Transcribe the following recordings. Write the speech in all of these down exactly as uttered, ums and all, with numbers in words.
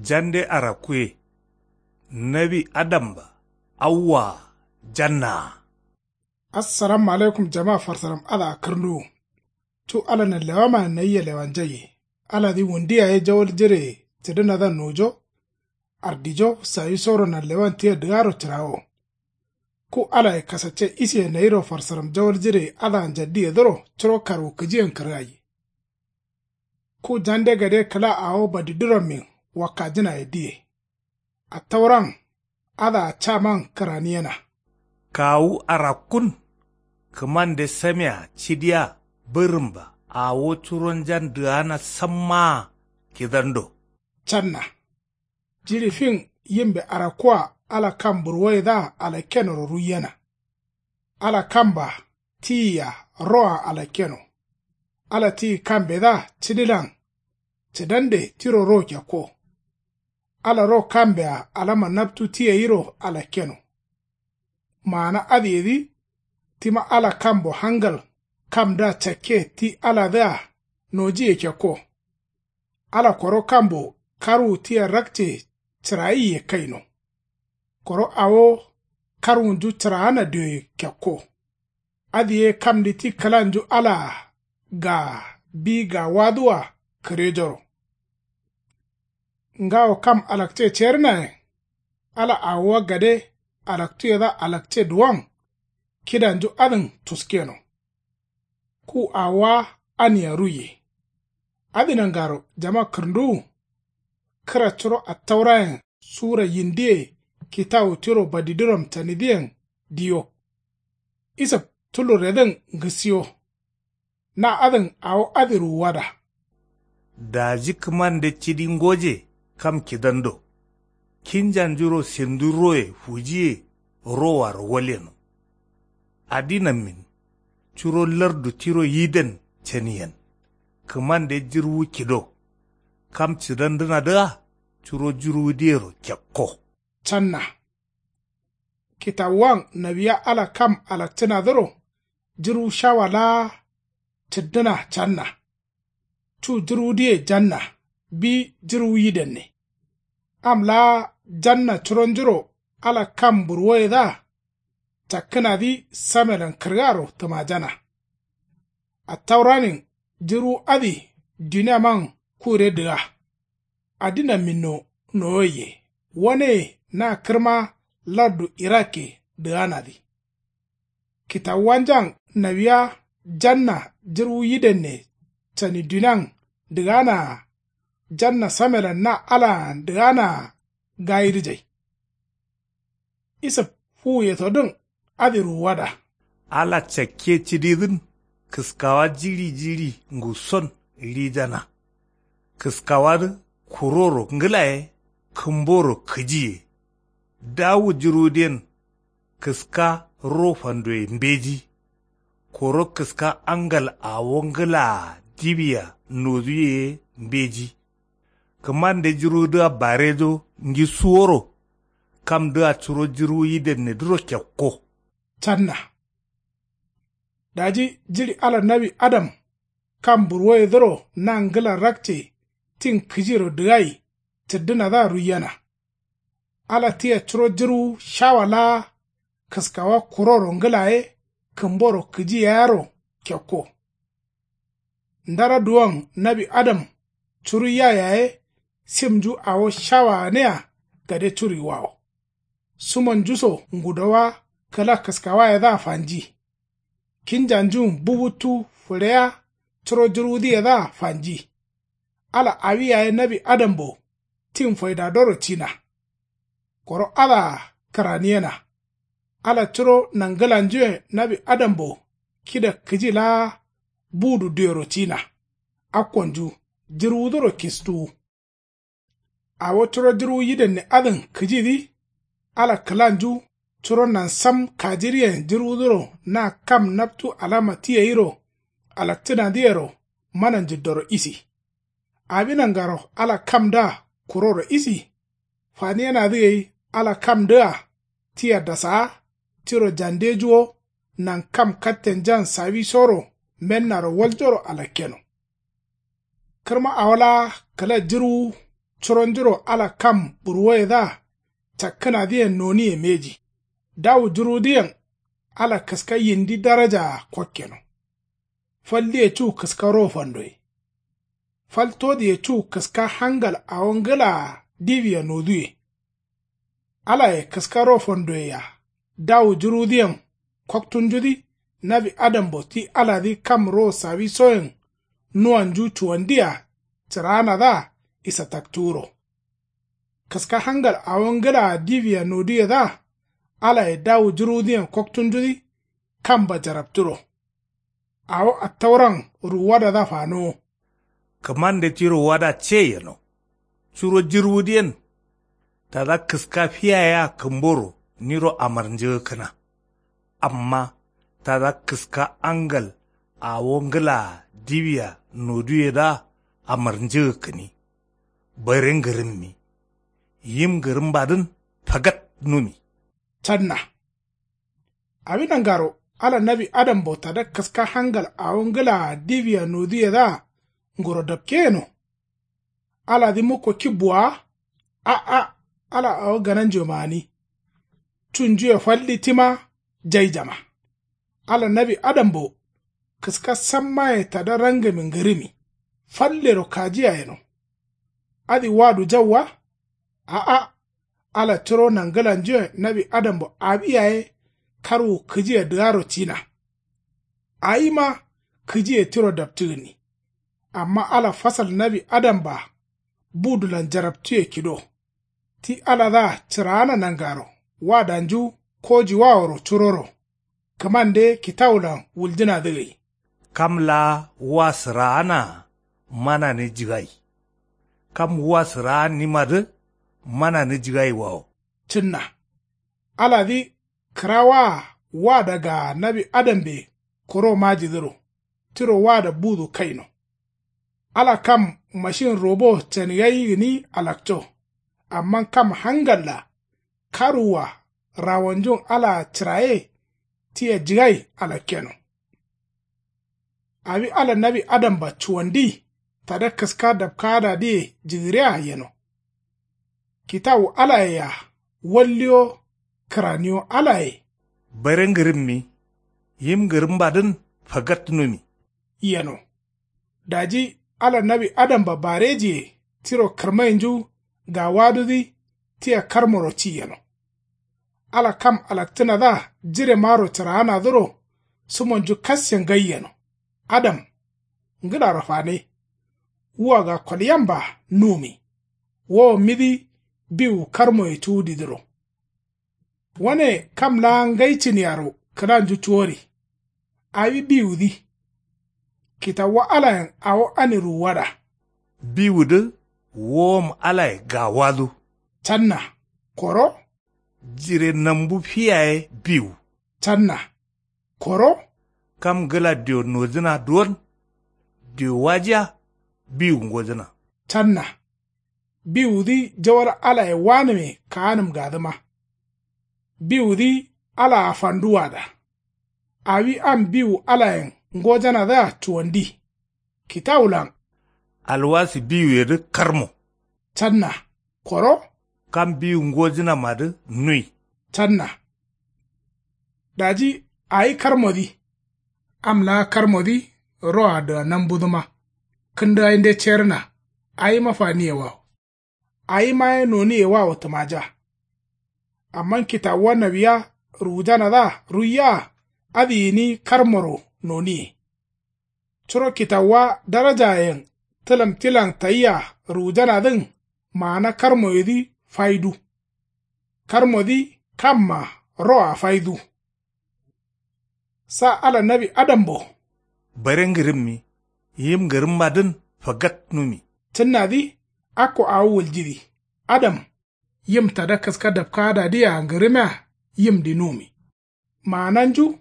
Jande arakkuye. Nawi adamba. Awwaa. Jannaa. Assalamu alaikum jama farsaram adǝa kǝrnduwu. Cu ala nanlewamayen nayia lewanjaiye. Aladǝ wundu yaye jawal jireye cǝdǝnadǝa nojo. Ardijo sawisoro nanlewan tia dǝgaro cǝrawo. Ku alaye kasacce isiye nayiro farsaram jawal jireye adǝa njaddiyedǝro curo karwukǝjiyen kǝrgaiye. Ku jande gade kǝla awo badidurammin wakkajǝnaye diye. Attauran adǝa caman kǝraniyena. Kawu arakkun. Kǝmande samea cidiya bǝrǝmba awo curonjan dǝgana sammaa kidando. Canna. Jiɍi fin yimbe arakkua ala kam burwoyedǝa alakkenoro ruiyena. Ala kamba tiyi-a roa alakkeno. Ala tiyi kambedǝa cǝdilan cǝdande tiro ro kekko. Ala ro kambe-a alama naptu ti gairo alakkeno. Maana adǝyedǝ tima ala kambo hangal kamdǝa cakke ti aladǝa nojiye kekko. Ala koro kambo karwu tia rakce cǝrayiye kaino. Koro awo karwunju cǝraana dioye kekko. Adǝ ye kamdǝ ti kǝlanju alaa gaa bi gawadǝwa kǝrejoro. Ngawo kam alakce cerǝnayen ala awowa gade alaktuyedǝa alakce duwon kidanju adǝn tuskeno. Ku awowa ania ruiye. Adǝ nangaro jama kǝrnduwu. Kǝra curo attaurayen sura yindiye kitawu tiro badiduram canidǝyen diyo. Isǝb tulurredǝn ngǝsiyo. Na adǝn awo adǝ ruwuwada. Daji kǝmande cidi ngoje kam kidando. Kinjanjuro sendu roye fujiye rowaro walyeno. Adinammin curo lardu tiro yiden caniyen. Kǝmande jirwu kido. Kam cǝdandǝnadǝa curo jirwudiyero kekko. Canna. Kitawuwan nawiya ala kam alakcǝnadǝro jirwu shawa laa cǝddǝna canna. Cu jirwudǝye janna bi jirwu yidenne. Am laa janna curonjuro ala kam burwoyedǝa cakkǝnadǝ samelan kǝrgaro tǝmajana. Attauranin jirwu adǝ duniaman kure dǝga. Adinamminno nowoiye waneye na kǝrma lardu irakke dǝganadǝ. Kitawuwanjan nawiya janna jirwu yidenne cani dunian dǝganaa janna samelan na alaan dǝganaa gayidǝjai. Isǝb fuwuyetodǝn adǝ ruwuwada. Ala cakke cididǝn kǝskawa jiɍi jiɍi nguson ɍijana. Kǝskawadǝ kuroro ngǝlaye kǝmboro kǝjiye. Dawu jirwudǝyen kǝska ro fandoye mbeji. Koro kǝska angal awo ngǝlaa diwia noduye ye mbeji. Kǝmande jirwudǝa barejo ngisuworo. Kamdǝa curo jirwu yidennedǝro kekko. Canna. Daji jiɍi ala nawi adam kam burwoyedǝro na ngǝla rakce tin kǝjiro dǝgai cǝddǝnadǝa ruiyena. Ala tia curo jirwu shawa laa kǝskawa kuroro ngǝla ye kǝmboro kǝji yayero kekko. Ndara duwon nawi adam curuiya yaye simnju awo shawa gǝnea gade curuiwawo. Sumonjuso ngudowa kǝla kǝskawayedǝa fanji. Kinjanjun bubuttu fǝɍeya curo jirwudǝyedǝa fanji. Ala awi yaye nawi adambo tin faidadoro cina. Koro adǝa kǝraniyena. Ala curo nangǝlanjuyen nawi adambo kida kǝji laa budu duyero cina. Akkonju jirwuduro kistuwu. Awo curo jirwu yidenne adǝn kǝjidǝ. Ala kǝlanju curo nansam kajiriyen jirwuduro na kam naptu alama ti gairo alakcǝnadǝyero mana njiddoro isi. Awi nangaro ala kamdǝa kuroro isi. Faniyenadǝ gai ala kamdǝa tia dasaa tiro jandejuwo. Nankam kattenjan sawisoro mennaro waljoro alakkeno. Kǝrma awo laa kǝla jirwu Curonjuro ala kam burwoyedǝa cakkǝnadǝyen noniye mbeji. Dawu jurwudǝyen ala kǝska yindi darajaa kokkeno. Faldǝye cu kǝska ro fandoye. Fal todǝye cu kǝska hangal awo ngǝlaa diwia noduwe. Alaye kǝska ro fandoyea dawu jurwudǝyen koktunjudǝ. Nawi adambo ti aladǝ kam ro sawisoyen nuwanju cuwandiya cǝraanadǝa isataktuwuro. Kǝska hangal awo ngǝlaa diwia noduyedǝa alaye dawu jurwudǝyen koktunjudǝ. Kamba jarapturo. Awo attauran ruwuwadadǝa fanowo. Kǝmande tiro wada ce yeno. Curo jǝrwudǝyen tada kǝska fiyaye-a kǝmboro niro amarnjǝgǝkkǝna. Amma tada kǝska angal awo ngǝlaa diwia noduyedǝa amarnjǝgǝkkǝni. Bare ngǝrǝmmi. Yim ngǝrǝmbadǝn fagat numi. Canna. Awi nangaro ala nawi adambo tada kǝska hangal awo ngǝlaa diwia noduyedǝa nguro dapke yeno. Aladǝ mukko kibbu wa. A'a. Ala awo gananjuwe maani. Cunjuwe faldǝ tima jaijama. Ala nawi adambo kǝska sammaye tada rangami ngǝrǝmi. Fallero kajiya yeno. Adǝ wadu jau wa. A'a. Ala curo nangǝlanjuyen nawi adambo awi yaye karwu kǝjiye dǝgaro cina. Awima kǝjiye tiro dapcǝgǝnni. Amma ala fasal nawi adamba budulan jaraptuye kido. Ti aladǝa cǝraana nangaro wadanju kojiwaworo curoro. Kǝmande kitawulan wuljǝnadǝ gai. Kam laa wa sǝraanaa manani jǝgai. Kam wa sǝraannimadǝ manani jǝgaiwawo. Cǝnna. Aladǝ kǝrawaa wada gaa nawi adambe kuro majidǝro tiro wada budu kaino. Ala kam mashin robo cani gai gǝni alakco. Amma kam hangalla karwua rawonjun alaa cǝraye tia jǝgai alakkeno. Awi ala nawi adamba cuwandi tada kǝska dapkaadadǝye jǝgǝriya yeno. Kitawu alaye-a walliyo kǝraniyo alaye. Bare ngǝrǝmmi. Yim ngǝrǝmbadǝn fagat numi. Yeno. Daji ala nawi adamba barejiye tiro kǝrmainju gawadudǝ tia karmoro ci yeno. Ala kam alaktǝnadǝa jiremaro cǝraanadǝro sumonju kasse ngai yeno. Adam. Ngǝlaro fane. Wua ga kolyamba numi. Wowommidǝ biwu karmoye cuwudidǝro. Wane kam laa ngai cǝniyaro kǝlanju cuwori. Awi biwudǝ. Kitawuwa alayen awo ani ruwuwada. Biwudǝ wowom alaye gawadu. Canna. Koro. Jire nambu fiyaye biwu. Canna. Koro. Kam ngǝla diwo nojǝna duwon. Diwo wajiya. Biwu ngojǝna. Canna. Biwudǝ jawal alaye wanǝme kaanǝm gadǝma. Biwudǝ alaa fanduwada. Awi am biwu alayen ngojanadǝa cuwandi. Kitawulan. Alwasi biwuyedǝ karmo. Canna. Koro. Kam biwu ngojǝnamadǝ nui. Canna. Daji awi karmodǝ. Am laa karmodǝ roa dǝa nambudǝma. Kǝndǝgainde cerǝna. Awima faniyewawo. Awima ye noniyewawo tǝmaja. Amma kitawuwa nawiya ruwujanadǝa ruiyaa. Adǝ gǝni karmoro noniye. Curo kitawuwa darajayen tǝlam tilan tayia ruwujanadǝn maana karmoyedǝ faidu. Karmodǝ kamma roa faidu. Sa ala nawi adambo. Bare ngǝrǝmmi. Yim ngǝrǝmmadǝn fagat numi. Cǝnnadǝ akko awo wuljidǝ. Adam. Yim tada kǝska dapkaadadǝyea ngǝrǝmea yimdǝ numi. Maananju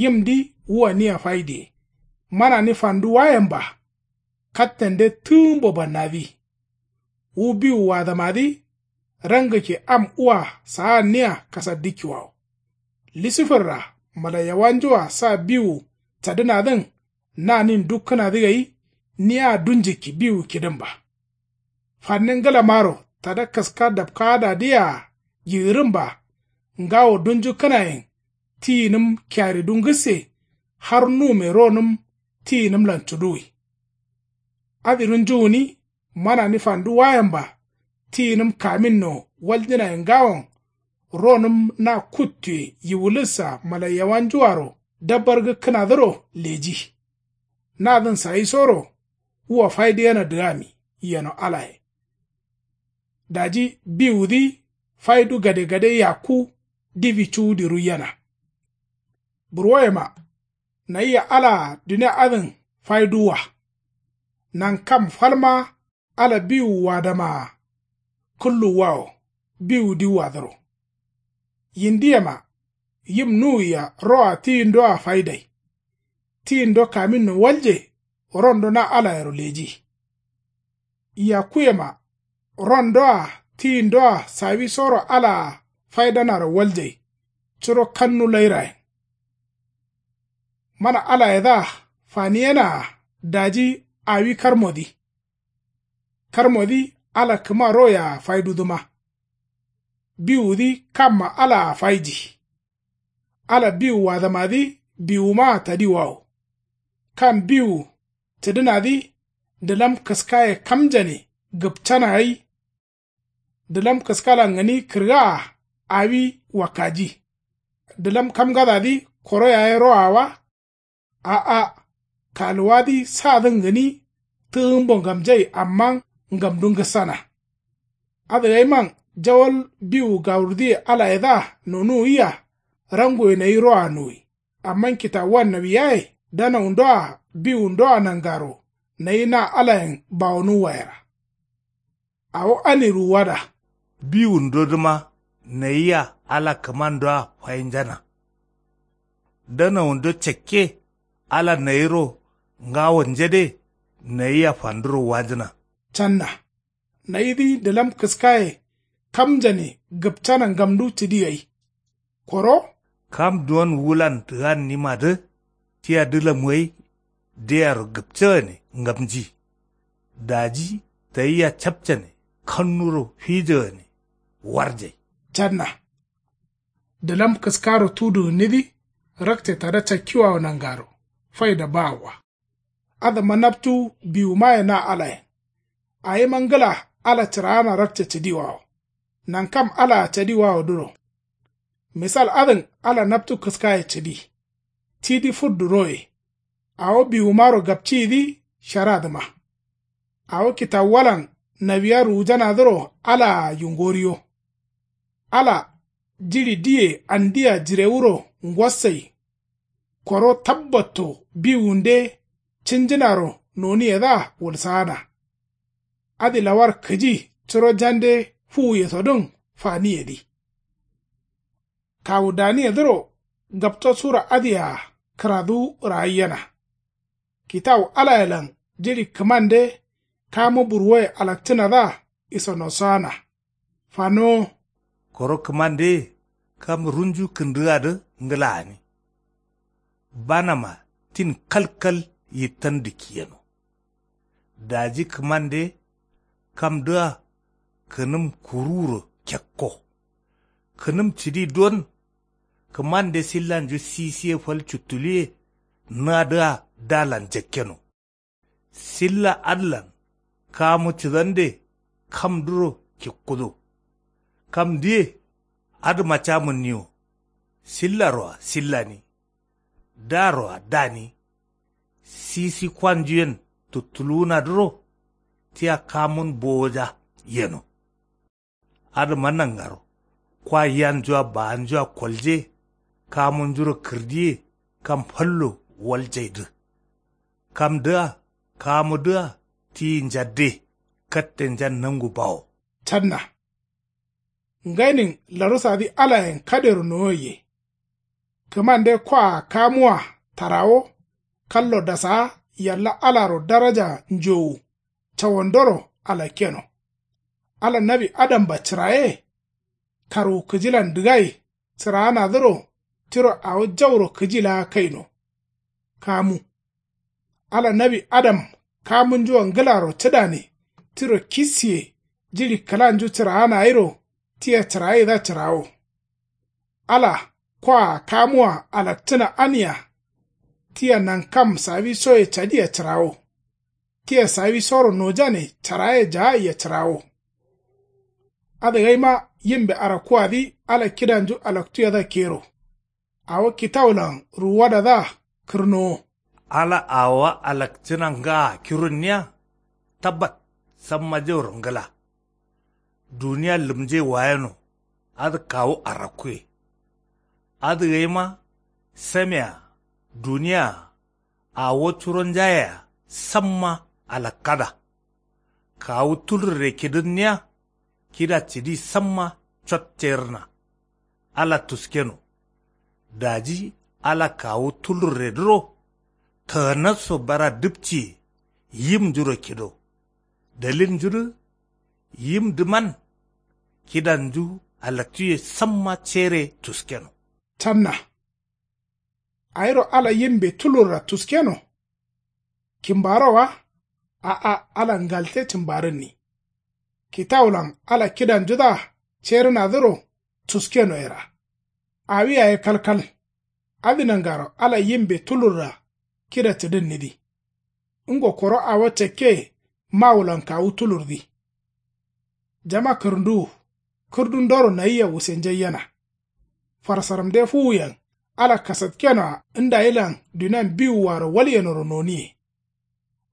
yimdǝ wua nia faidiye. Manani fanduwayen ba. Kattende tǝgǝmbo bannadǝ. Wu biwu wadǝmadǝ. Rangǝkke am ua saanniya kasaddǝkkiwawo. Lisifirra malaiyawanjua sa biwu cadǝnadǝn. Nanin dukkǝnadǝ gai nia dunjikki biwu kidǝmba. Fanne ngǝlamaro tada kǝska dapkaadadǝyea yigǝrǝmba. Ngawo dunju kǝnayen tiyinǝm kiyaridu ngǝsse. Har nume ronǝm tiyinǝmlan cuduwi. Adǝ runju gǝni manani fandu wayemba. Tiyinǝm kaminno waljǝnaye ngawon ronǝm na kuttuye yiwulǝssa malaiyawanjuaro dabbargǝkkǝnadǝro leji. Nadǝn sayisoro wua faidǝ yena dǝgami yeno alaye. Daji biwudǝ faidu gadegade yakku dibi cuwudi ruiyena. Burwoyema nayia alaa dunia adǝn faiduwwa. Nankam falma ala biwuwadamaa kǝlluwwawo biwudiwwadǝro. Yindiyema yim nuwia roa tiyindoa faidai. Tiyindo kaminno walje rondo na alayero leji. Yakkuyema rondoa tiyindoa sawisoro alaa faidanaro waljai. Curo kannu lairayen. Mana alayedǝa faniyenaa daji awi karmodǝ. Karmodǝ ala kǝma royea faidudǝma. Biwudǝ kamma alaa faiji. Ala biwuwadamadǝ biwumaa tadiwawo. Kam biwu cǝdǝnadǝ dǝlam kǝskaye kamjane gǝpcana gai. Dǝlam kǝskalan gǝni kǝrgaa awi wakkaji. Dǝlam kamgadadǝ koro yaye roa wa. A'a. Kaluwadǝ sadǝn gǝni tǝgǝmbo ngamjai amma ngamdu ngǝssana. Adǝ gaiman jawal biwu gawurdǝye alayedǝa nonuwia. Ranguwe nayi roa nuwi. Amma kitawuwan nawiyaye danawundoa biwundoa nangaro nayi na alayen bawonuwwa yera. Awo ani ruwuwada. Biwundodǝma nayia ala kǝmandoa fainjana. Danawundo cakke ala nayiro ngawo njede nayia fanduro wanjǝna. Canna nayidǝ dǝlam kǝskaye kamjane gǝpcana ngamdu cǝdi gai. Koro kam duwon wulan dǝgannimadǝ tia dǝlam gai deyaro gǝpcagane ngamji. Daji tayia capcane kannuro fijagane warjai. Canna dǝlam kǝskaro tudu gǝnnidǝ rakce tada cakkiwawo nangaro faida bawowa. Adǝma naptu biwumaye na alayen. Awima ngǝla ala cǝraana rakce cǝdiwawo. Nankam alaa cadiwawodǝro. Misal adǝn ala naptu kǝskaye cǝdi. Tidǝ fuddu roye. Awo biwumaro gapciyidǝ sharadǝma. Awo kitawuwalan nawiya ruwujanadǝro alaa yungoriyo. Ala jiɍi diye andia jirewuro ngossai. Koro tabbatto biwunde cǝnjǝnaro noniyedǝa wulsaana. Adǝ lawar kǝji curo jande fuwuyesodǝn faniyedǝ. Kawu daniyedǝro gapto sura adǝyea kǝraduwu ragaiyena. Kitawu alayelan jiɍi kǝmande kamu burwoye alakcǝnadǝa isonosoana. Fanowo. Koro kǝmandeye kam runju kǝndǝgadǝ ngǝla gǝni. Banama tin kalkal yittan dǝkkiyeno. Daji kǝmande kamdǝa kǝnǝm kuruwuro kekko. Kǝnǝm cǝdi don. Kǝmande sillanju sisiye fal cuttuluye nadǝa dalan jakkeno. Silla adǝlan kamu cǝdande kamduro kikkudo. Kamdǝye adǝma camǝnni wo. Sillaroa sillani. Daroa dani. Sisi kwanjuyen tuttuluwunadǝro tia kamun bowoja yeno. Adǝma nangaro kwa yanjua baanjua kolje. Kamunjuro kǝrdiye kam fallo waljaidǝ. Kamdǝa kamudǝa tiyi njadde kattenjan nangu bawo. Canna ngainin larusadǝ alayen kadero nowoiye. Kǝmande kwaa kamuwa tarawo kallo dasaa yalla alaro daraja njowu cawandoro alakkeno. Ala nawi adamba cǝraye. Karwu kǝjilan dǝgai cǝraanadǝro tiro awo jauro kǝji laa kaino. Kamu ala nawi adam kamunjua ngǝlaro cǝdane tiro kissiye Jiɍi kǝlanju cǝraana gairo tia cǝragaidǝa cǝrawo. Ala kwaa kamuwa alakcǝna ania. Tia nankam sawisoye cadia cǝrawo. Tia sawisoro nojane caragaye jagaiya cǝrawo. Adǝ gaima yimbe arakkuwadǝ ala kidanju alaktuyedǝa kero. Awo kitawulan ruwuwadadǝa kǝrnowo. Ala awowa alakcǝna ngaa kirunniya. Tabbat samma jauro ngla. Duniya lǝmje wayeno. Adǝ kawu arakkuye. Adǝ gaima samea duniyaa awo curonjayea samma alakkada. Kawu tulurre kidǝnniya. Kida cidi samma cot cerǝna. Ala tuskeno. Daji ala kawu tulurredǝro. Tanasso bara dǝpciye yimnjuro kido. Dalilnjudǝ yimdǝman. Kidanju alaktuye samma cere tuskeno. Canna. Awiro ala yimbe tulurra tuskeno. Kimbaro wa. A'a ala ngalte cǝmbarǝnni. Kitawulan ala kidanjudǝa cerǝnadǝro tuskeno yera. Awi yaye kalkal. Adǝ nangaro ala yimbe tulurra kida cǝdǝnnidǝ. Ngo koro awo cakke mawulan kawu tulurdǝ. Jama kǝrǝnduwu kǝrdundoro nayia wusenjaiyena. Farsaramde fuwuyen ala kasatkenoa ndayilan dunian biwuaro walyenoro noniye.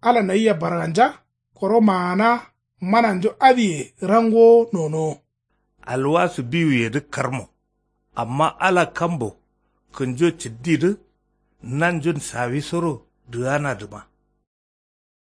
Ala nayia barganja koro maana mananju adǝye rangowo nonowo. Alwasu biwuyedǝ karmo. Amma ala kambo kǝnjo cǝddidǝ nanjun sawisoro dǝganadǝma.